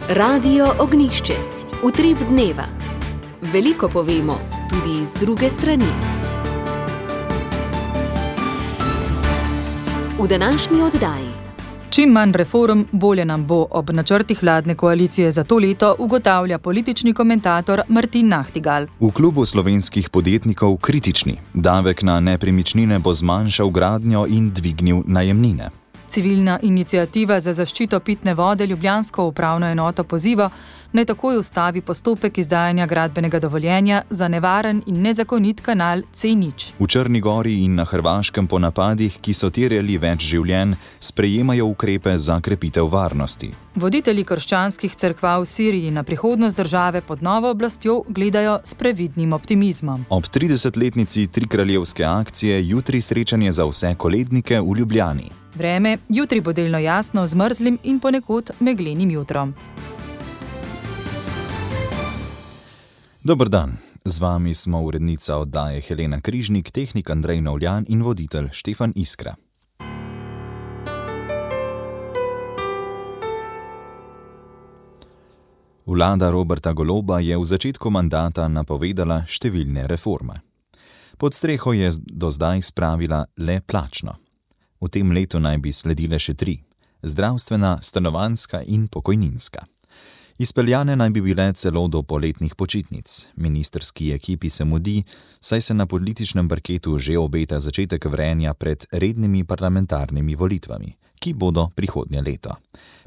Radio Ognjišče. Utrip dneva. Veliko povemo, tudi z druge strani. V današnji oddaji. Čim manj reform, bolje nam bo, ob načrtih vladne koalicije za to leto ugotavlja politični komentator Martin Nahtigal. V klubu slovenskih podjetnikov kritični. Davek na nepremičnine bo zmanjšal gradnjo in dvignil najemnine. Civilna iniciativa za zaščito pitne vode ljubljansko upravno enoto poziva, naj takoj ustavi postopek izdajanja gradbenega dovoljenja za nevaren in nezakonit kanal C0. V Črni Gori in na Hrvaškem po napadih, ki so terjali več življenj, sprejemajo ukrepe za krepitev varnosti. Voditelji krščanskih cerkva v Siriji na prihodnost države pod novo oblastjo gledajo s previdnim optimizmom. Ob 30-letnici trikraljevske akcije jutri srečanje za vse kolednike v Ljubljani. Vreme jutri bo delno jasno z mrzlim in ponekod meglenim jutrom. Dober dan, z vami smo urednica oddaje Helena Križnik, tehnik Andrej Novljan in voditelj Štefan Iskra. Vlada Roberta Goloba je v začetku mandata napovedala številne reforme. Pod streho je do zdaj spravila le plačno. V tem letu naj bi sledile še 3: zdravstvena, stanovanjska in pokojninska. Izpeljane naj bi bile celo do poletnih počitnic. Ministrski ekipi se mudi, saj se na političnem parketu že obeta začetek vrenja pred rednimi parlamentarnimi volitvami, ki bodo prihodnje leto.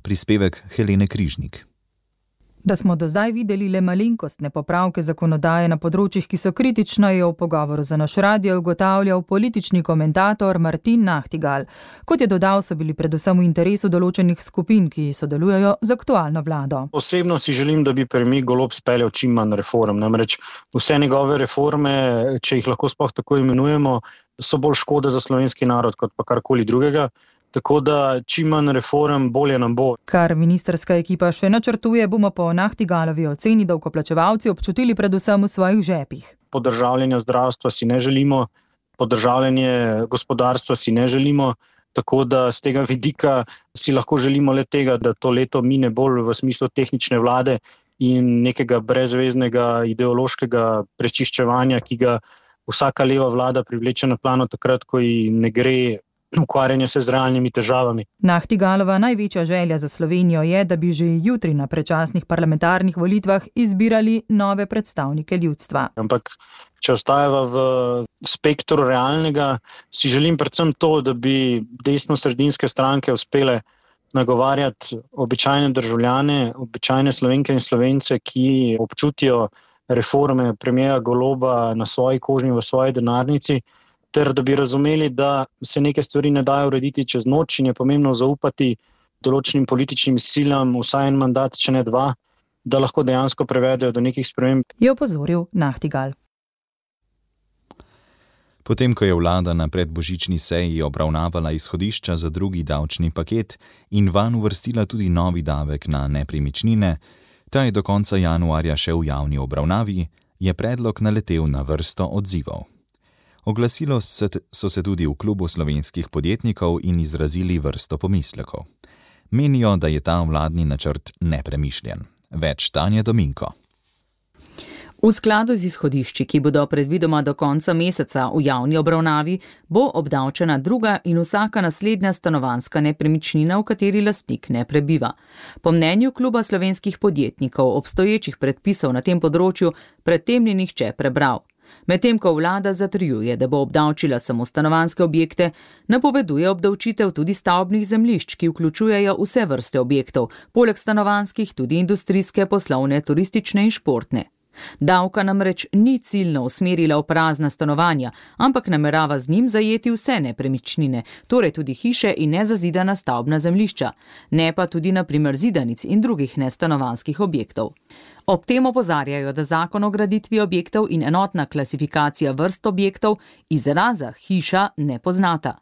Prispevek Helene Križnik. Da smo do zdaj videli le malenkostne popravke zakonodaje na področjih, ki so kritična, je v pogovoru za naš radio ugotavljal politični komentator Martin Nahtigal. Kot je dodal, so bili predvsem v interesu določenih skupin, ki sodelujejo z aktualno vlado. Osebno si želim, da bi premijer Golob speljal čim manj reform. Namreč vse njegove reforme, če jih lahko sploh tako imenujemo, so bolj škoda za slovenski narod kot pa karkoli drugega. Tako da čim manj reform, bolje nam bo. Kar ministrska ekipa še načrtuje, bomo po Nahtigalovi oceni davkoplačevalci občutili predvsem v svojih žepih. Podržavljanja zdravstva si ne želimo, podržavljanje gospodarstva si ne želimo, tako da z tega vidika si lahko želimo le tega, da to leto mine bolj v smislu tehnične vlade in nekega brezveznega ideološkega prečiščevanja, ki ga vsaka leva vlada privleče na plano takrat, ko ji ne gre ukvarjanje se z realnimi težavami. Nahtigalova največja želja za Slovenijo je, da bi že jutri na predčasnih parlamentarnih volitvah izbirali nove predstavnike ljudstva. Ampak, če ostajava v spektru realnega, si želim predvsem to, da bi desno-sredinske stranke uspele nagovarjati običajne državljane, običajne Slovenke in Slovence, ki občutijo reforme premijera Goloba na svoji koži in v svoji denarnici, ter da bi razumeli, da se neke stvari ne dajo urediti čez noč in je pomembno zaupati določenim političnim silam vsaj en mandat, če ne 2, da lahko dejansko prevedejo do nekih sprememb. Je opozoril Nahtigal. Potem, ko je vlada na predbožični seji obravnavala izhodišča za drugi davčni paket in vanj uvrstila tudi novi davek na nepremičnine, ta je do konca januarja še v javni obravnavi, je predlog naletel na vrsto odzivov. Oglasilo so se tudi v klubu slovenskih podjetnikov in izrazili vrsto pomislekov. Menijo, da je ta vladni načrt nepremišljen. Več Tanja Dominko. V skladu z izhodišči, ki bodo predvidoma do konca meseca v javni obravnavi, bo obdavčena druga in vsaka naslednja stanovanjska nepremičnina, v kateri lastnik ne prebiva. Po mnenju kluba slovenskih podjetnikov obstoječih predpisov na tem področju pred tem ni nihče prebral. Medtem ko vlada zatrjuje, da bo obdavčila samo stanovanjske objekte, napoveduje obdavčitev tudi stavbnih zemljišč, ki vključujejo vse vrste objektov, poleg stanovanjskih tudi industrijske, poslovne, turistične in športne. Davka namreč ni ciljno usmerila v prazna stanovanja, ampak namerava z njim zajeti vse nepremičnine, torej tudi hiše in nezazidana stavbna zemljišča, ne pa tudi na primer zidanic in drugih nestanovanjskih objektov. Ob tem opozarjajo, da zakon o graditvi objektov in enotna klasifikacija vrst objektov izraza hiša ne poznata.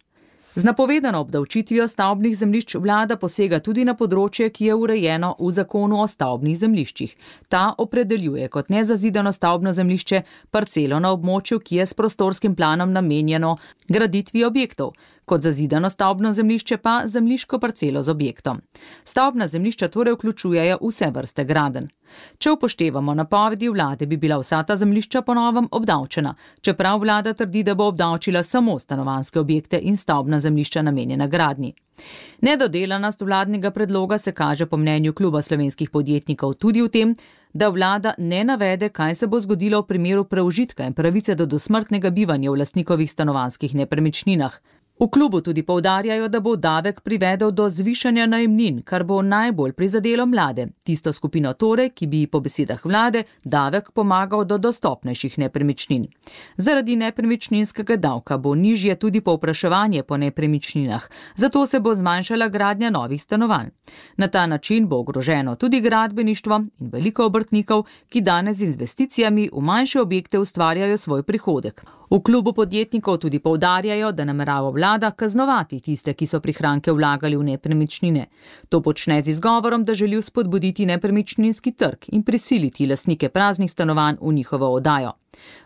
Z napovedano obdavčitvijo stavbnih zemljišč vlada posega tudi na področje, ki je urejeno v zakonu o stavbnih zemljiščih. Ta opredeljuje kot nezazidano stavbno zemljišče parcelo na območju, ki je s prostorskim planom namenjeno graditvi objektov. kot zazidano stavbno zemljišče pa zemljiško parcelo z objektom. Stavbna zemljišča torej vključujejo vse vrste gradenj. Če upoštevamo napovedi vlade, bi bila vsa ta zemljišča po novem obdavčena, čeprav vlada trdi, da bo obdavčila samo stanovanjske objekte in stavbna zemljišča namenjena gradnji. Nedodelanost vladnega predloga se kaže po mnenju Kluba slovenskih podjetnikov tudi v tem, da vlada ne navede, kaj se bo zgodilo v primeru preužitka in pravice do dosmrtnega bivanja v lastnikovih stanovanjskih nepremičninah. V klubu tudi poudarjajo, da bo davek privedel do zvišanja najemnin, kar bo najbolj prizadelo mlade, tisto skupino torej, ki bi po besedah vlade davek pomagal do dostopnejših nepremičnin. Zaradi nepremičninskega davka bo nižje tudi povpraševanje po nepremičninah, zato se bo zmanjšala gradnja novih stanovanj. Na ta način bo ogroženo tudi gradbeništvo in veliko obrtnikov, ki danes z investicijami v manjše objekte ustvarjajo svoj prihodek. V klubu podjetnikov tudi poudarjajo, da namerava vlada kaznovati tiste, ki so prihranke vlagali v nepremičnine. To počne z izgovorom, da želi spodbuditi nepremičninski trg in prisiliti lastnike praznih stanovanj v njihovo oddajo.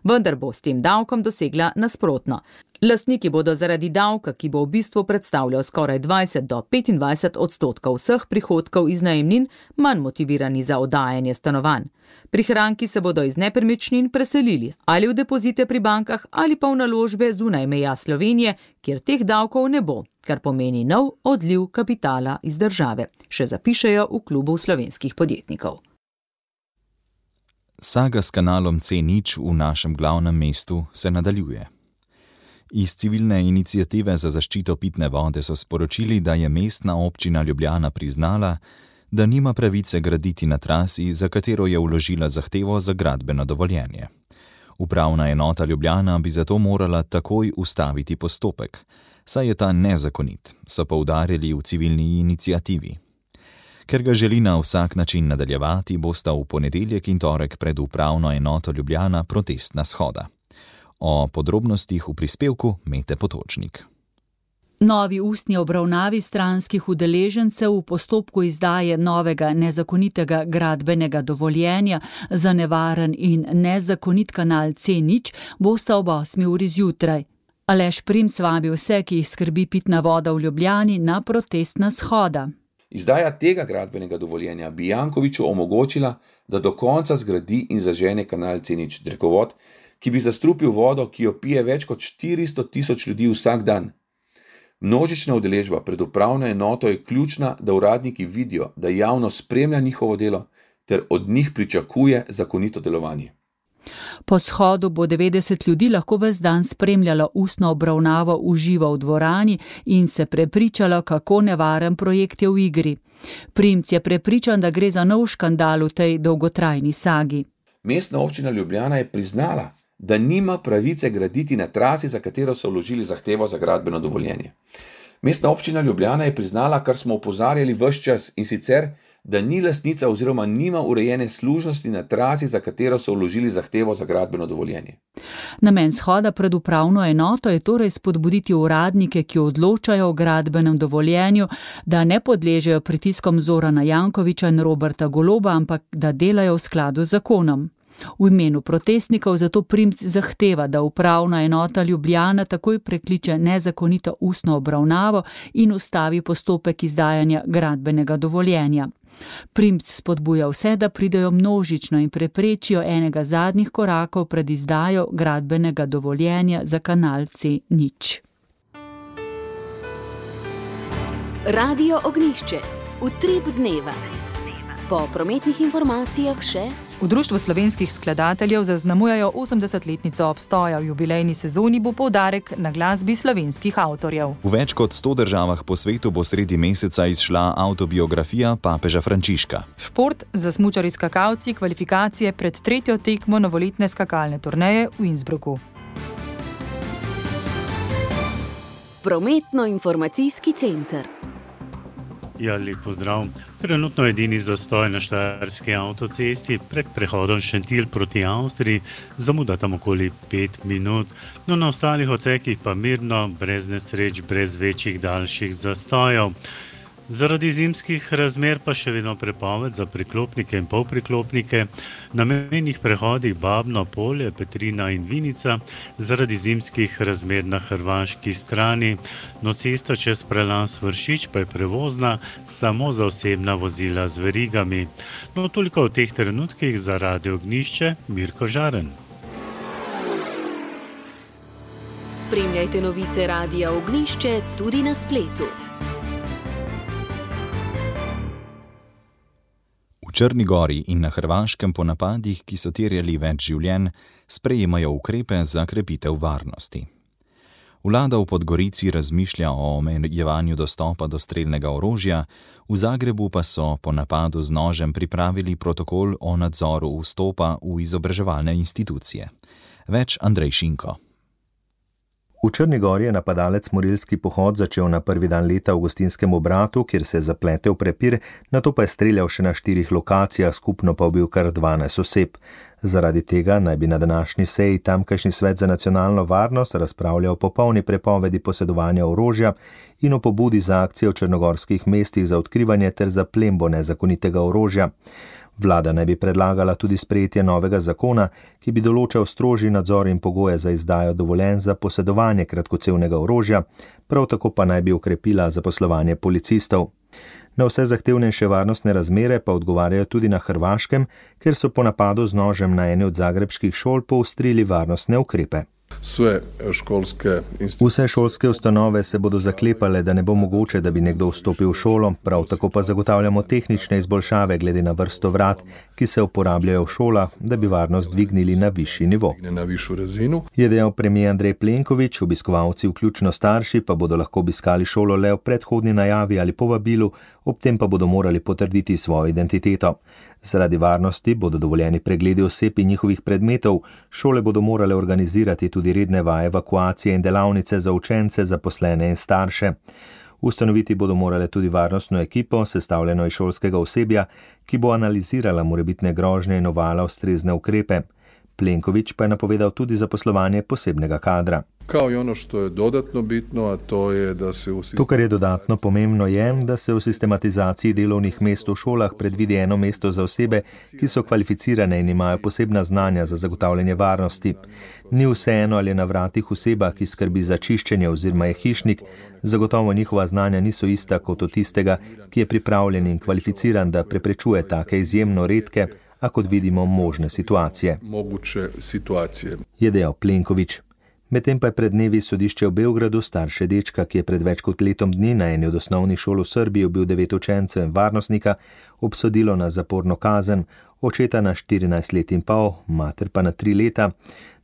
Vendar bo s tem davkom dosegla nasprotno. Lastniki bodo zaradi davka, ki bo v bistvu predstavljal skoraj 20 do 25% vseh prihodkov iz najemnin, manj motivirani za oddajanje stanovanj. Prihranki se bodo iz nepremičnin preselili ali v depozite pri bankah ali pa v naložbe zunaj meja Slovenije, kjer teh davkov ne bo, kar pomeni nov odliv kapitala iz države, še zapišejo v Klubu slovenskih podjetnikov. Saga s kanalom C0 v našem glavnem mestu se nadaljuje. Iz civilne iniciative za zaščito pitne vode so sporočili, da je mestna občina Ljubljana priznala, da nima pravice graditi na trasi, za katero je vložila zahtevo za gradbeno dovoljenje. Upravna enota Ljubljana bi zato morala takoj ustaviti postopek, saj je ta nezakonit, so poudarili v civilni iniciativi. Ker ga želi na vsak način nadaljevati, bosta v ponedeljek in torek pred upravno enoto Ljubljana protestna shoda. O podrobnostih v prispevku Mete Potočnik. Novi ustni obravnavi stranskih udeležencev v postopku izdaje novega nezakonitega gradbenega dovoljenja za nevaren in nezakonit kanal C0 bosta ob 8. uri zjutraj. Aleš Primc vabi vse, ki jih skrbi pitna voda v Ljubljani, na protestna shoda. Izdaja tega gradbenega dovoljenja bi Jankoviću omogočila, da do konca zgradi in zažene kanal C0 drekovod, ki bi zastrupil vodo, ki jo pije več kot 400 tisoč ljudi vsak dan. Množična udeležba pred upravno enoto je ključna, da uradniki vidijo, da javnost spremlja njihovo delo ter od njih pričakuje zakonito delovanje. Po shodu bo 90 ljudi lahko ves dan spremljalo ustno obravnavo v živo v dvorani in se prepričalo, kako nevaren projekt je v igri. Primc je prepričan, da gre za nov škandal v tej dolgotrajni sagi. Mestna občina Ljubljana je priznala, da nima pravice graditi na trasi, za katero so vložili zahtevo za gradbeno dovoljenje. Mestna občina Ljubljana je priznala, kar smo opozarjali ves čas, in sicer, da ni lastnica oziroma nima urejene služnosti na trasi, za katero so vložili zahtevo za gradbeno dovoljenje. Namen shoda pred upravno enoto je torej spodbuditi uradnike, ki odločajo o gradbenem dovoljenju, da ne podležejo pritiskom Zorana Jankovića in Roberta Goloba, ampak da delajo v skladu z zakonom. V imenu protestnikov zato Primc zahteva, da upravna enota Ljubljana takoj prekliče nezakonito ustno obravnavo in ustavi postopek izdajanja gradbenega dovoljenja. Primc spodbuja vse, da pridejo množično in preprečijo enega zadnjih korakov pred izdajo gradbenega dovoljenja za kanal C0. Radio Ognjišče. Utrip dneva. Po prometnih informacijah še... V Društvu slovenskih skladateljev zaznamujejo 80-letnico obstoja. V jubilejni sezoni bo poudarek na glasbi slovenskih avtorjev. V več kot 100 državah po svetu bo sredi meseca izšla avtobiografija papeža Frančiška. Šport za smučarji skakalci, kvalifikacije pred 3. tekmo novoletne skakalne turneje v Innsbrucku. Prometno-informacijski center. Ja, lep pozdrav. Trenutno edini zastoj na štajerski avtocesti pred prehodom Šentilj proti Avstriji, zamuda tam okoli 5 minut, no na ostalih odsekih pa mirno, brez nesreč, brez večjih daljših zastojev. Zaradi zimskih razmer pa še vedno prepoved za priklopnike in polpriklopnike na mejnih prehodih Babno Polje, Petrina in Vinica zaradi zimskih razmer na hrvaški strani. No, cesta čez prelaz Vršič pa je prevozna samo za osebna vozila z verigami. No, toliko v teh trenutkih za Radio Ognjišče, Mirko Žaren. Spremljajte novice Radia Ognjišče tudi na spletu. V Črni Gori in na Hrvaškem po napadih, ki so terjali več življenj, sprejemajo ukrepe za krepitev varnosti. Vlada v Podgorici razmišlja o omejevanju dostopa do strelnega orožja, v Zagrebu pa so po napadu z nožem pripravili protokol o nadzoru vstopa v izobraževalne institucije. Več Andrej Šinko. V Črni Gori je napadalec morilski pohod začel na prvi dan leta v gostinskem obratu, kjer se je zapletel prepir, nato pa je streljal še na 4 lokacijah, skupno pa ubil kar 12 oseb. Zaradi tega naj bi na današnji seji tamkajšnji svet za nacionalno varnost razpravljal o popolni prepovedi posedovanja orožja in o pobudi za akcijo v črnogorskih mestih za odkrivanje ter zaplembo nezakonitega orožja. Vlada naj bi predlagala tudi sprejetje novega zakona, ki bi določal strožji nadzor in pogoje za izdajo dovoljenj za posedovanje kratkocevnega orožja, prav tako pa naj bi okrepila zaposlovanje policistov. Na vse zahtevnejše varnostne razmere pa odgovarjajo tudi na Hrvaškem, ker so po napadu z nožem na eni od zagrebških šol poostrili varnostne ukrepe. Vse šolske ustanove se bodo zaklepale, da ne bo mogoče, da bi nekdo vstopil v šolo, prav tako pa zagotavljamo tehnične izboljšave glede na vrsto vrat, ki se uporabljajo v šolah, da bi varnost dvignili na višji nivo. Je dejal premier Andrej Plenković, obiskovalci vključno starši pa bodo lahko obiskali šolo le v predhodni najavi ali povabilu, ob tem pa bodo morali potrditi svojo identiteto. Zaradi varnosti bodo dovoljeni pregledi oseb in njihovih predmetov, šole bodo morale organizirati tudi redne vaje evakuacije in delavnice za učence, zaposlene in starše. Ustanoviti bodo morale tudi varnostno ekipo, sestavljeno iz šolskega osebja, ki bo analizirala morebitne grožnje in uvala ustrezne ukrepe. Plenković pa je napovedal tudi zaposlovanje posebnega kadra. To, kar je dodatno pomembno, je, da se v sistematizaciji delovnih mest v šolah predvidi eno mesto za osebe, ki so kvalificirane in imajo posebna znanja za zagotavljanje varnosti. Ni vseeno, ali je na vratih oseba, ki skrbi za čiščenje oziroma je hišnik, zagotovo njihova znanja niso ista kot od tistega, ki je pripravljen in kvalificiran, da preprečuje take izjemno redke, a kot vidimo možne situacije. Je dejal Plenković. Medtem pa je pred dnevi sodišče v Beogradu starše dečka, ki je pred več kot letom dni na eni od osnovnih šol v Srbiji ubil 9 učencev in varnostnika, obsodilo na zaporno kazen, očeta na 14 let in pol, mater pa na 3 leta.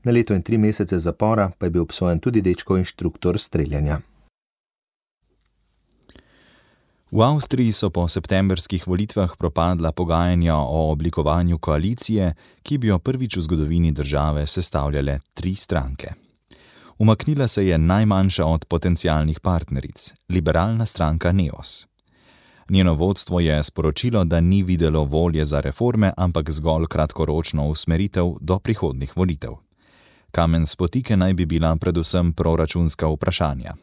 Na leto in 3 mesece zapora pa je bil obsojen tudi dečkov inštruktor streljanja. V Avstriji so po septembrskih volitvah propadla pogajanja o oblikovanju koalicije, ki bi jo prvič v zgodovini države sestavljale 3 stranke. Umaknila se je najmanjša od potencialnih partneric, liberalna stranka Neos. Njeno vodstvo je sporočilo, da ni videlo volje za reforme, ampak zgolj kratkoročno usmeritev do prihodnjih volitev. Kamen spotike naj bi bila predvsem proračunska vprašanja.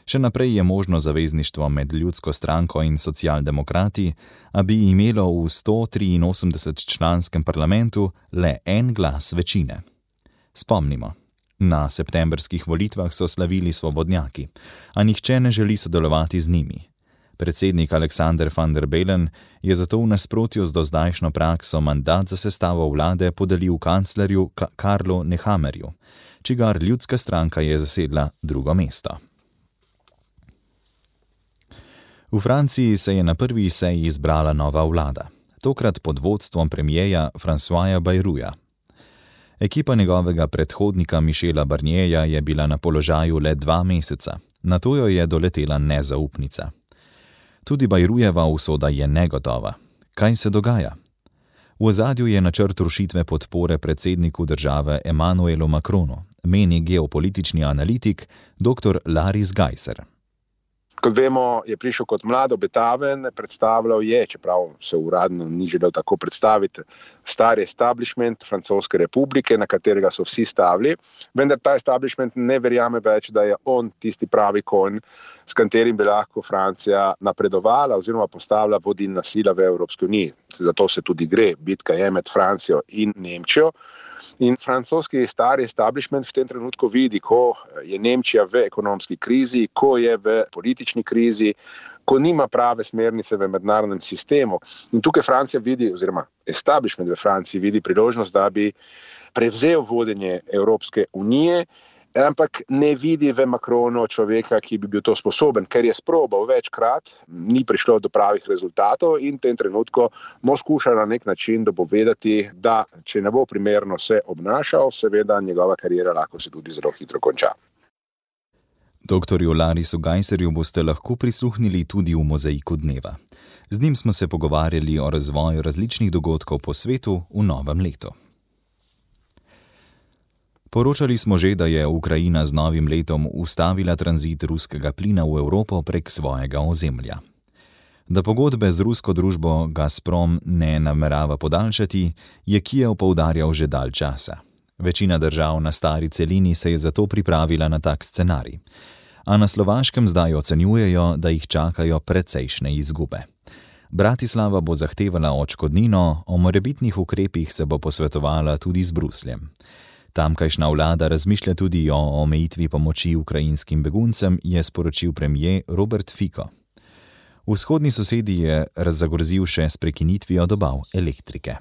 Še naprej je možno zavezništvo med Ljudsko stranko in socialdemokrati, a bi imelo v 183-članskem parlamentu le en glas večine. Spomnimo, na septembrskih volitvah so slavili svobodnjaki, a nihče ne želi sodelovati z njimi. Predsednik Aleksander van der Bellen je zato v nasprotju z dozdajšnjo prakso mandat za sestavo vlade podelil kanclerju Karlu Nehammerju, čigar Ljudska stranka je zasedla 2. mesto. V Franciji se je na prvi seji izbrala nova vlada, tokrat pod vodstvom premierja Françoisa Bayrouta. Ekipa njegovega predhodnika Michela Barnierja je bila na položaju le 2 meseca, nato jo je doletela nezaupnica. Tudi Bayroutova usoda je negotova. Kaj se dogaja? V ozadju je načrt rušitve podpore predsedniku države Emmanuelu Macronu, meni geopolitični analitik dr. Laris Geiser. Kot vemo, je prišel kot mlad, obetaven, predstavljal je, čeprav se uradno ni želel tako predstaviti, stari establishment Francoske republike, na katerega so vsi stavili, vendar ta establishment ne verjame več, da je on tisti pravi konj, s katerim bi lahko Francija napredovala oziroma postavila vodilna sila v Evropski uniji. Zato se tudi gre, bitka je med Francijo in Nemčijo. In francoski stari establishment v tem trenutku vidi, ko je Nemčija v ekonomski krizi, ko je v politični krizi, ko nima prave smernice v mednarodnem sistemu. In tukaj Francija vidi, oziroma establishment v Franciji vidi priložnost, da bi prevzel vodenje Evropske unije, ampak ne vidi v Macronu človeka, ki bi bil to sposoben, ker je sprobal večkrat, ni prišlo do pravih rezultatov in v tem trenutku mu skuša na nek način dopovedati, da če ne bo primerno se obnašal, seveda njegova kariera lahko se tudi zelo hitro konča. Doktorju Larisu Geiserju boste lahko prisluhnili tudi v Mozaiku dneva. Z njim smo se pogovarjali o razvoju različnih dogodkov po svetu v novem letu. Poročali smo že, da je Ukrajina z novim letom ustavila tranzit ruskega plina v Evropo prek svojega ozemlja. Da pogodbe z rusko družbo Gazprom ne namerava podaljšati, je Kijev poudarjal že dalj časa. Večina držav na stari celini se je zato pripravila na tak scenarij. A na Slovaškem zdaj ocenjujejo, da jih čakajo precejšnje izgube. Bratislava bo zahtevala odškodnino, o morebitnih ukrepih se bo posvetovala tudi z Brusljem. Tamkajšnja vlada razmišlja tudi o omejitvi pomoči ukrajinskim beguncem, je sporočil premier Robert Fico. Vzhodni sosedi je zagorzel še s prekinitvijo dobav elektrike.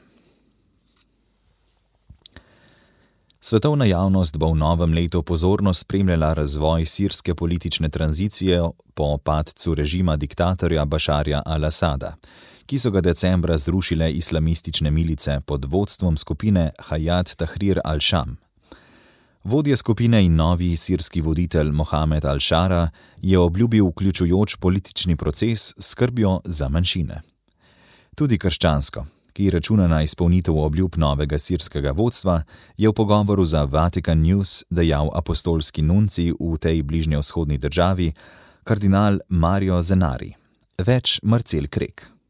Svetovna javnost bo v novem letu pozorno spremljala razvoj sirske politične tranzicije po padcu režima diktatorja Bašarja al-Asada, ki so ga decembra zrušile islamistične milice pod vodstvom skupine Hayat Tahrir al-Sham. Vodja skupine in novi sirski voditelj Mohamed al-Shara je obljubil vključujoč politični proces s skrbjo za manjšine. Tudi krščansko, ki računa na izpolnitev obljub novega sirskega vodstva, je v pogovoru za Vatican News dejal apostolski nunci v tej bližnjevzhodni državi, kardinal Mario Zenari. Več Marcel Krek.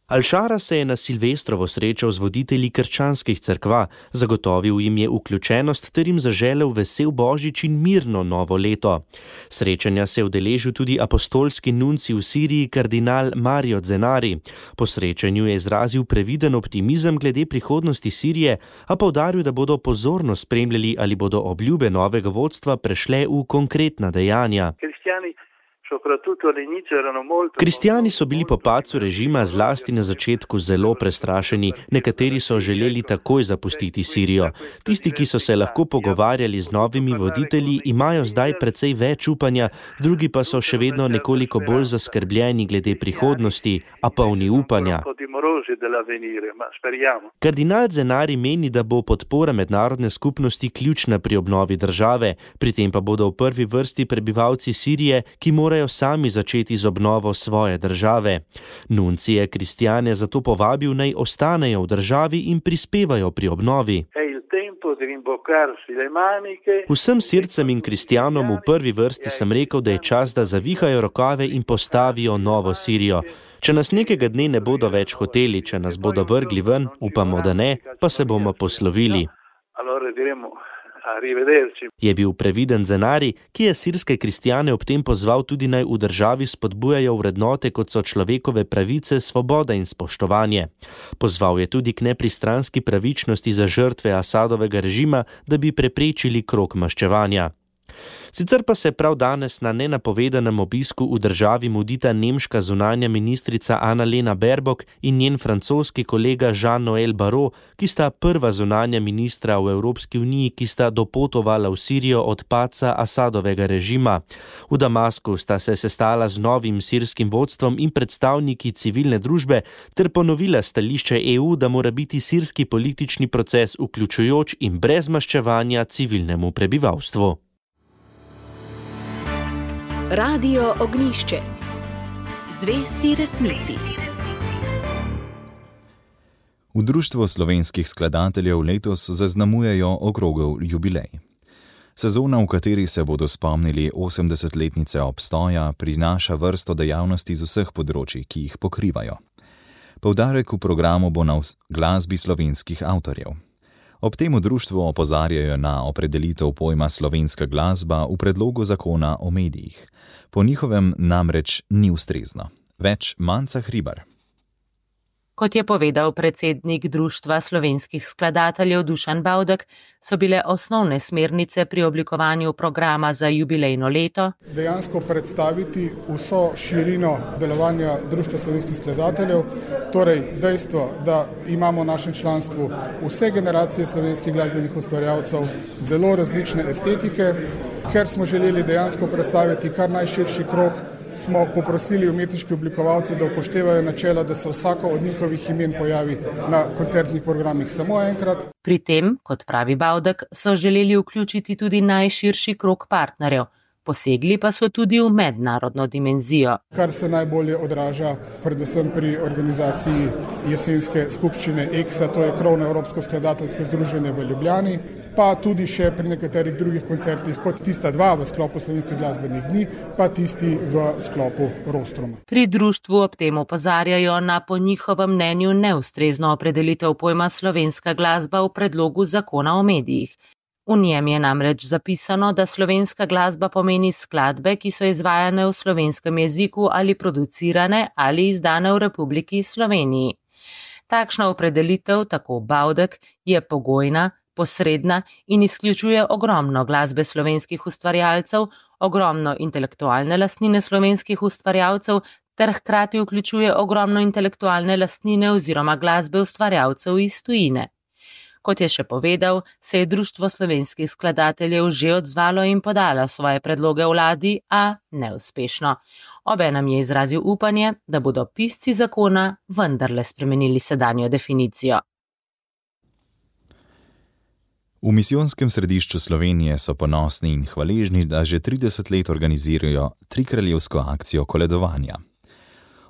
Al-Shara se je na Silvestrovo srečal z voditelji krščanskih cerkva, zagotovil jim je vključenost ter jim zaželel vesel božič in mirno novo leto. Srečanja se je udeležil tudi apostolski nunci v Siriji kardinal Mario Zenari. Po srečanju je izrazil previden optimizem glede prihodnosti Sirije, a poudaril, da bodo pozorno spremljali, ali bodo obljube novega vodstva prešle v konkretna dejanja. Kristjani so bili po padcu režima zlasti na začetku zelo prestrašeni, nekateri so želeli takoj zapustiti Sirijo. Tisti, ki so se lahko pogovarjali z novimi voditelji, imajo zdaj precej več upanja, drugi pa so še vedno nekoliko bolj zaskrbljeni glede prihodnosti, a polni upanja. Kardinal Zenari meni, da bo podpora mednarodne skupnosti ključna pri obnovi države, pri tem pa bodo v prvi vrsti prebivalci Sirije, ki morajo sami začeti z obnovo svoje države. Nunci je kristjane zato povabil, naj ostanejo v državi in prispevajo pri obnovi. Vsem sircem in kristjanom v prvi vrsti sem rekel, da je čas, da zavihajo rokave in postavijo novo Sirijo. Če nas nekega dne ne bodo več hoteli, če nas bodo vrgli ven, upamo, da ne, pa se bomo poslovili. Je bil previden Zenari, ki je sirske kristjane ob tem pozval tudi naj v državi spodbujajo vrednote, kot so človekove pravice, svoboda in spoštovanje. Pozval je tudi k nepristranski pravičnosti za žrtve Asadovega režima, da bi preprečili krog maščevanja. Sicer pa se prav danes na nenapovedanem obisku v državi mudita nemška zunanja ministrica Annalena Baerbock in njen francoski kolega Jean-Noël Barrot, ki sta prva zunanja ministra v Evropski uniji, ki sta dopotovala v Sirijo od padca Asadovega režima. V Damasku sta se sestala z novim sirskim vodstvom in predstavniki civilne družbe ter ponovila stališče EU, da mora biti sirski politični proces vključujoč in brez maščevanja civilnemu prebivalstvu. Radio Ognjišče. Zvesti resnici. V Društvu slovenskih skladateljev letos zaznamujejo okrogel jubilej. Sezona, v kateri se bodo spomnili 80-letnice obstoja, prinaša vrsto dejavnosti z vseh področij, ki jih pokrivajo. Poudarek v programu bo na glasbi slovenskih avtorjev. Ob tem v društvu opozarjajo na opredelitev pojma slovenska glasba v predlogu zakona o medijih. Po njihovem namreč ni ustrezno. Več Manca Hribar. Kot je povedal predsednik Društva slovenskih skladateljev Dušan Bavdek, so bile osnovne smernice pri oblikovanju programa za jubilejno leto dejansko predstaviti vso širino delovanja Društva slovenskih skladateljev, torej dejstvo, da imamo v našem članstvu vse generacije slovenskih glasbenih ustvarjalcev, zelo različne estetike. Ker smo želeli dejansko predstaviti kar najširši krog, smo poprosili umetniške oblikovalce, da upoštevajo načelo, da se vsako od njihovih imen pojavi na koncertnih programih samo enkrat. Pri tem, kot pravi Bavdek, so želeli vključiti tudi najširši krog partnerjev. Posegli pa so tudi v mednarodno dimenzijo. Kar se najbolje odraža predvsem pri organizaciji jesenske skupščine EXA, to je krovno Evropsko skladateljsko združenje v Ljubljani, pa tudi še pri nekaterih drugih koncertih, kot tista dva v sklopu slovenskih glasbenih dni, pa tisti v sklopu Rostruma. Pri društvu ob tem opozarjajo na po njihovem mnenju neustrezno opredelitev pojma slovenska glasba v predlogu zakona o medijih. V njem je namreč zapisano, da slovenska glasba pomeni skladbe, ki so izvajane v slovenskem jeziku ali producirane ali izdane v Republiki Sloveniji. Takšna opredelitev, tako Bavdek, je pogojna, posredna in izključuje ogromno glasbe slovenskih ustvarjalcev, ogromno intelektualne lastnine slovenskih ustvarjalcev ter hkrati vključuje ogromno intelektualne lastnine oziroma glasbe ustvarjalcev iz tujine. Kot je še povedal, se je Društvo slovenskih skladateljev že odzvalo in podalo svoje predloge vladi, a neuspešno. Obenem je izrazil upanje, da bodo pisci zakona vendarle spremenili sedanjo definicijo. V misijonskem središču Slovenije so ponosni in hvaležni, da že 30 let organizirajo trikraljevsko akcijo koledovanja.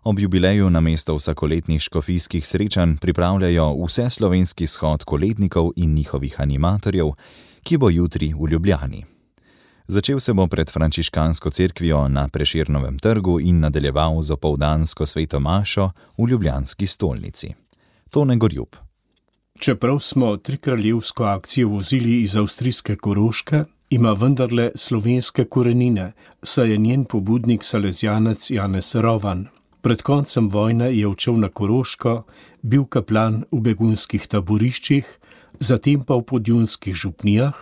Ob jubileju namesto vsakoletnih škofijskih srečanj pripravljajo vseslovenski shod kolednikov in njihovih animatorjev, ki bo jutri v Ljubljani. Začel se bo pred frančiškansko cerkvijo na Prešernovem trgu in nadaljeval z opoldansko sveto mašo v ljubljanski stolnici. Tone Gorjub. Čeprav smo trikraljevsko akcijo vozili iz avstrijske Koroške, ima vendarle slovenske korenine, saj je njen pobudnik salezjanec Janez Rovan. Pred koncem vojne je odšel na Koroško, bil kaplan v begunskih taboriščih, zatem pa v podjunskih župnijah,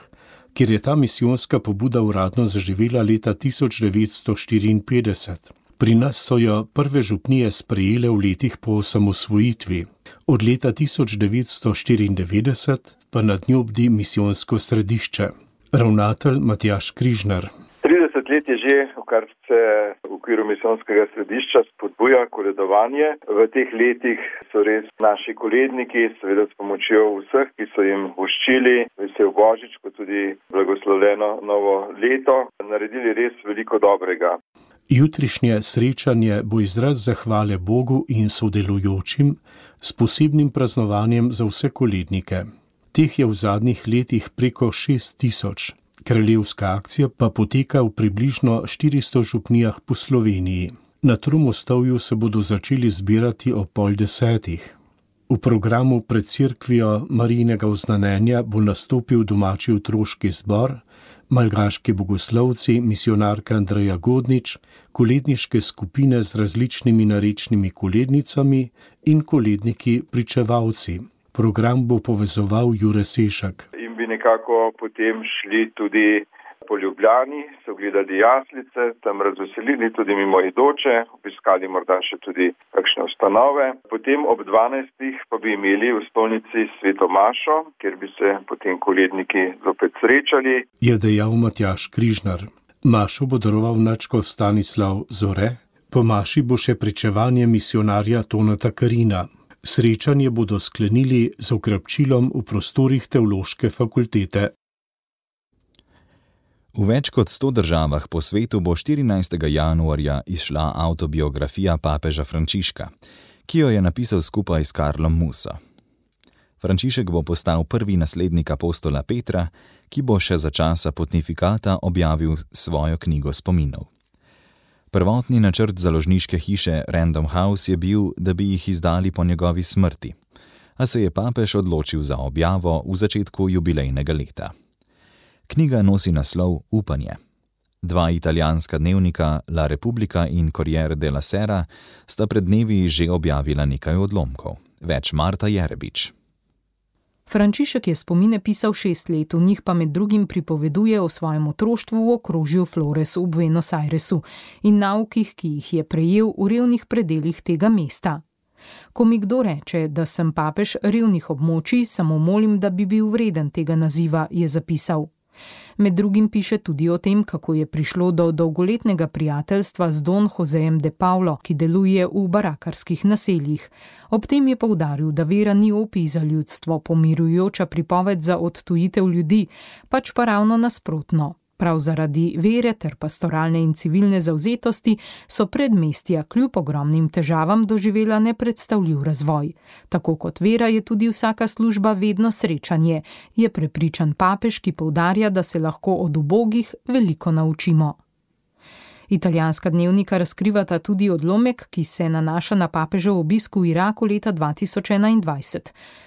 kjer je ta misijonska pobuda uradno zaživela leta 1954. Pri nas so jo prve župnije sprejele v letih po osamosvojitvi. Od leta 1994 pa nad njo bdi misijonsko središče. Ravnatelj Matjaž Križnar. 30 let je že, kar se v okviru misijonskega središča spodbuja koledovanje. V teh letih so res naši koledniki, seveda s pomočjo vseh, ki so jim voščili vesel Božič, kot tudi blagoslovljeno novo leto, naredili res veliko dobrega. Jutrišnje srečanje bo izraz zahvale Bogu in sodelujočim s posebnim praznovanjem za vse kolednike. Teh je v zadnjih letih preko 6000. Kraljevska akcija pa poteka v približno 400 župnijah po Sloveniji. Na Tromostovju se bodo začeli zbirati ob 9:30. V programu pred cerkvijo Marijinega oznanjenja bo nastopil domači otroški zbor, malgaški bogoslovci, misijonarka Andreja Godnič, koledniške skupine z različnimi narečnimi kolednicami in koledniki pričevalci. Program bo povezoval Jure Sešak. In bi nekako potem šli tudi po Ljubljani, se ogledali jaslice, tam razveselili tudi mimoidoče, obiskali morda še tudi kakšne ustanove. Potem ob 12. pa bi imeli v stolnici sveto mašo, kjer bi se potem koledniki zopet srečali. Je dejal Matjaž Križnar. Mašo bo daroval nadškof Stanislav Zore, po maši bo še pričevanje misijonarja Toneta Karina. Srečanje bodo sklenili z okrepčilom v prostorih teološke fakultete. V več kot 100 državah po svetu bo 14. januarja izšla avtobiografija papeža Frančiška, ki jo je napisal skupaj s Karlom Musso. Frančišek bo postal prvi naslednik apostola Petra, ki bo še za časa pontifikata objavil svojo knjigo spominov. Prvotni načrt založniške hiše Random House je bil, da bi jih izdali po njegovi smrti, a se je papež odločil za objavo v začetku jubilejnega leta. Knjiga nosi naslov Upanje. Dva italijanska dnevnika La Repubblica in Corriere della Sera sta pred dnevi že objavila nekaj odlomkov. Več Marta Jerebič. Frančišek je spomine pisal 6 let, v njih pa med drugim pripoveduje o svojem otroštvu v okrožju Flores v Buenos Airesu in naukih, ki jih je prejel v revnih predelih tega mesta. Ko mi kdo reče, da sem papež revnih območij, samo molim, da bi bil vreden tega naziva, je zapisal. Med drugim piše tudi o tem, kako je prišlo do dolgoletnega prijateljstva z Don Josejem de Paulo, ki deluje v barakarskih naseljih. Ob tem je poudaril, da vera ni opij za ljudstvo, pomirujoča pripoved za odtujitev ljudi, pač pa ravno nasprotno. Prav zaradi vere ter pastoralne in civilne zavzetosti so predmestja kljub ogromnim težavam doživela nepredstavljiv razvoj. Tako kot vera je tudi vsaka služba vedno srečanje, je prepričan papež, ki poudarja, da se lahko od ubogih veliko naučimo. Italijanska dnevnika razkrivata tudi odlomek, ki se nanaša na papežev obisk v Iraku leta 2021.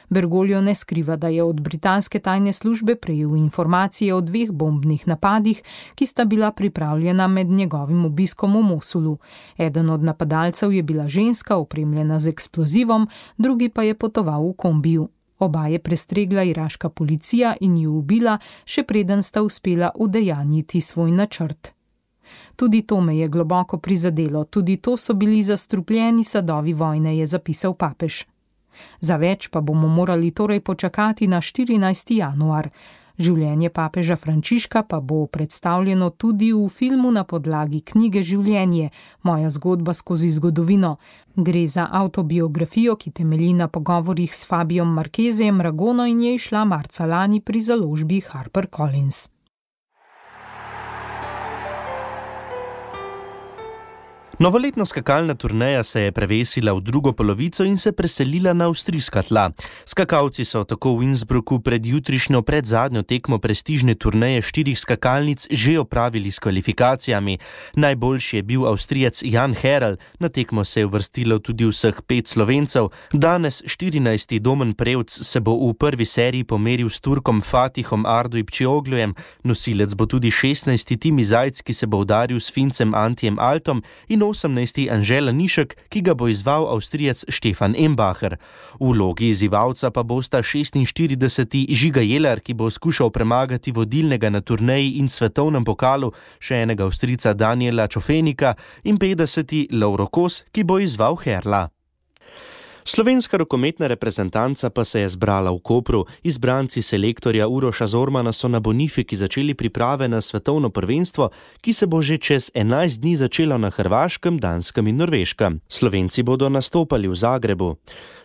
Bergoglio ne skriva, da je od britanske tajne službe prejel informacije o 2 bombnih napadih, ki sta bila pripravljena med njegovim obiskom v Mosulu. Eden od napadalcev je bila ženska, opremljena z eksplozivom, drugi pa je potoval v kombiju. Oba je prestregla iraška policija in ju ubila, še preden sta uspela udejanjiti svoj načrt. Tudi to me je globoko prizadelo, tudi to so bili zastrupljeni sadovi vojne, je zapisal papež. Za več pa bomo morali torej počakati na 14. januar. Življenje papeža Frančiška pa bo predstavljeno tudi v filmu na podlagi knjige Življenje, moja zgodba skozi zgodovino. Gre za avtobiografijo, ki temelji na pogovorih s Fabijom Marquezem Ragono in je izšla marca lani pri založbi HarperCollins. Novoletna skakalna turneja se je prevesila v drugo polovico in se preselila na avstrijska tla. Skakalci so tako v Innsbrucku pred jutrišnjo predzadnjo tekmo prestižne turneje 4 skakalnic že opravili s kvalifikacijami. Najboljši je bil Avstrijec Jan Herel, na tekmo se je uvrstilo tudi vseh 5 Slovencev. Danes 14. Domen Prevc se bo v prvi seriji pomeril s Turkom Fatihom Ardujpčioglujem, nosilec bo tudi 16. Timi Zajc, ki se bo udaril s Fincem Antijem Altom, in 18. Anžela Nišek, ki ga bo izval Avstrijec Štefan Embacher. V vlogi izzivalca pa bosta 46. Žiga Jeler, ki bo skušal premagati vodilnega na turneji in svetovnem pokalu, še enega Avstrijca Daniela Čofenika, in 50. Lovro Kos, ki bo izval Herla. Slovenska rokometna reprezentanca pa se je zbrala v Kopru. Izbranci selektorja Uroša Zormana so na Bonifiki začeli priprave na svetovno prvenstvo, ki se bo že čez 11 dni začelo na Hrvaškem, Danskem in Norveškem. Slovenci bodo nastopali v Zagrebu.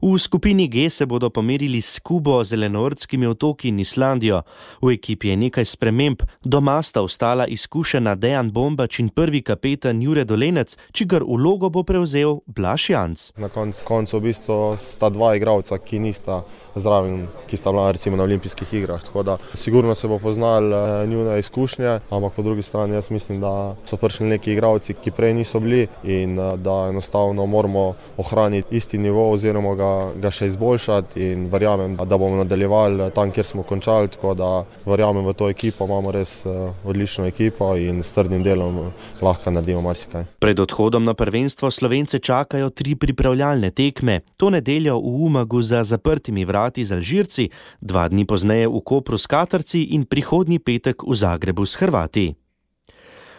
V skupini G se bodo pomerili s Kubo, Zelenortskimi otoki in Islandijo. V ekipi je nekaj sprememb. Doma sta ostala izkušena Dejan Bombač in prvi kapetan Jure Dolenec, čigar vlogo bo prevzel Blaž Janc. Na koncu v bistvu sta 2 igralca, ki nista zraven, ki sta bila recimo na olimpijskih igrah, tako da sigurno se bo poznal njune izkušnje, ampak po drugi strani jaz mislim, da so prišli neki igralci, ki prej niso bili in da enostavno moramo ohraniti isti nivo oziroma ga še izboljšati in verjamem, da bomo nadaljevali tam, kjer smo končali, tako da verjamem v to ekipo, imamo res odlično ekipo in s trdnim delom lahko naredimo marsikaj. Pred odhodom na prvenstvo Slovence čakajo 3 pripravljalne tekme. To nedeljo v Umagu za zaprtimi vrati z Alžirci, 2 dni pozneje v Kopru s Katarci in prihodnji petek v Zagrebu s Hrvati.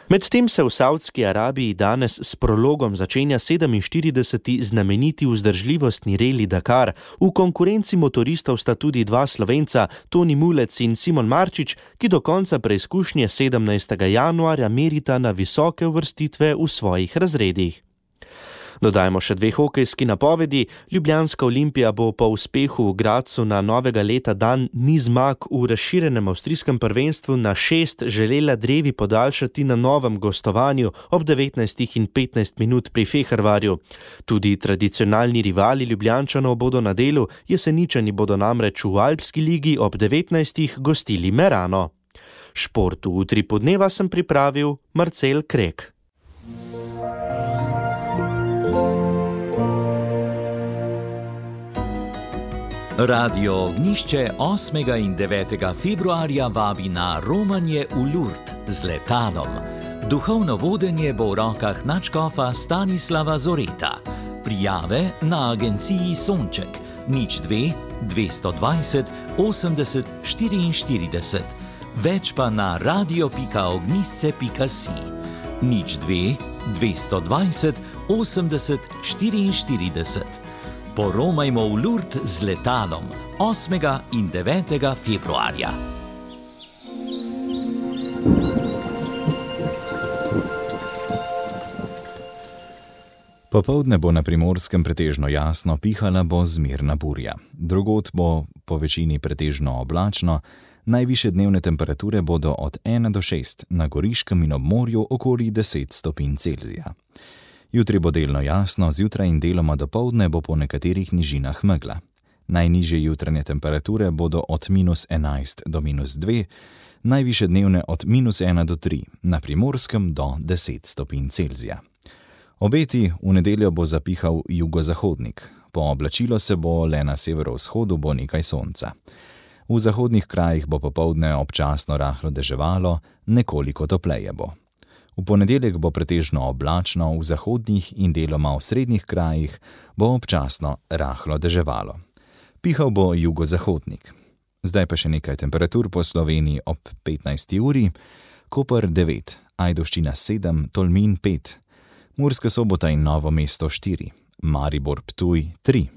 Medtem se v Saudski Arabiji danes s prologom začenja 47. znameniti vzdržljivostni reli Dakar. V konkurenci motoristov sta tudi 2 Slovenca, Toni Mulec in Simon Marčič, ki do konca preizkušnje 17. januarja merita na visoke uvrstitve v svojih razredih. Dodajmo še 2 hokejski napovedi. Ljubljanska Olimpija bo po uspehu v Gradcu na novega leta dan niz zmag v razširjenem avstrijskem prvenstvu na 6 želela drevi podaljšati na novem gostovanju ob 19:15 pri Fehervarju. Tudi tradicionalni rivali Ljubljančanov bodo na delu, Jeseničani bodo namreč v Alpski ligi ob 19 gostili Merano. Šport v Utripu dneva sem pripravil Marcel Krek. Radio Ognišče 8. in 9. februarja vabi na romanje v Lourdes z letalom. Duhovno vodenje bo v rokah nadškofa Stanislava Zoreta. Prijave na agenciji Sonček 02 220 80 44. Več pa na radio.ognisce.si 02 220 80 44. Poromajmo v Lourdes z letalom 8. in 9. februarja. Popoldne bo na Primorskem pretežno jasno, pihala bo zmerna burja. Drugod bo po večini pretežno oblačno, najvišje dnevne temperature bodo od 1 do 6, na Goriškem in ob morju okoli 10 stopinj Celzija. Jutri bo delno jasno, zjutraj in deloma dopoldne bo po nekaterih nižinah megla. Najnižje jutranje temperature bodo od -11 do -2, najvišje dnevne od -1 do 3, na Primorskem do 10 stopinj Celzija. Obeti: v nedeljo bo zapihal jugozahodnik, pooblačilo se bo, le na severovzhodu bo nekaj sonca. V zahodnih krajih bo popoldne občasno rahlo deževalo, nekoliko topleje bo. V ponedeljek bo pretežno oblačno, v zahodnih in deloma v srednjih krajih bo občasno rahlo deževalo. Pihal bo jugozahodnik. Zdaj pa še nekaj temperatur po Sloveniji ob 15. uri. Koper 9, Ajdovščina 7, Tolmin 5, Murska Sobota in Novo mesto 4, Maribor Ptuj 3,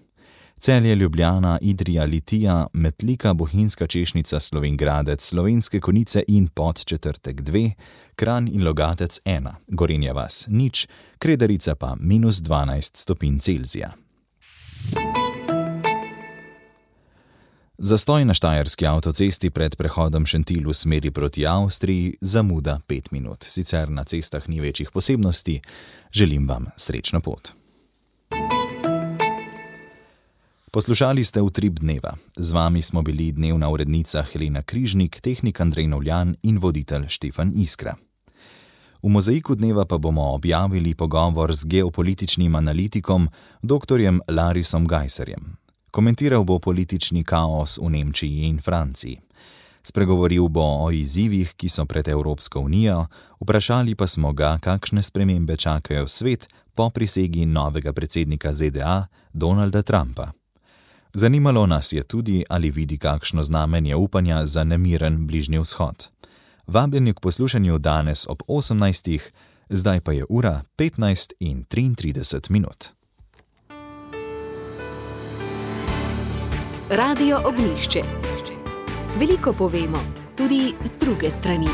Celje, Ljubljana, Idrija, Litija, Metlika, Bohinjska Češnica, Slovenjgradec, Slovenske Konjice in Podčetrtek 2, Kranj in Logatec 1, Gorenja vas 0, Kredarica pa -12 stopinj Celzija. Zastoj na štajerski avtocesti pred prehodom Šentilj v smeri proti Avstriji, zamuda 5 minut. Sicer na cestah ni večjih posebnosti. Želim vam srečno pot. Poslušali ste Utrip dneva. Z vami smo bili dnevna urednica Helena Križnik, tehnik Andrej Novljan in voditelj Štefan Iskra. V mozaiku dneva pa bomo objavili pogovor z geopolitičnim analitikom dr. Larisom Gajserjem. Komentiral bo politični kaos v Nemčiji in Franciji. Spregovoril bo o izzivih, ki so pred Evropsko unijo, vprašali pa smo ga, kakšne spremembe čakajo svet po prisegi novega predsednika ZDA Donalda Trumpa. Zanimalo nas je tudi, ali vidi kakšno znamenje upanja za nemiren Bližnji vzhod. Vabljeni k poslušanju danes ob 18. Zdaj pa je ura 15:33. Radio Ognišče. Veliko povemo, tudi z druge strani.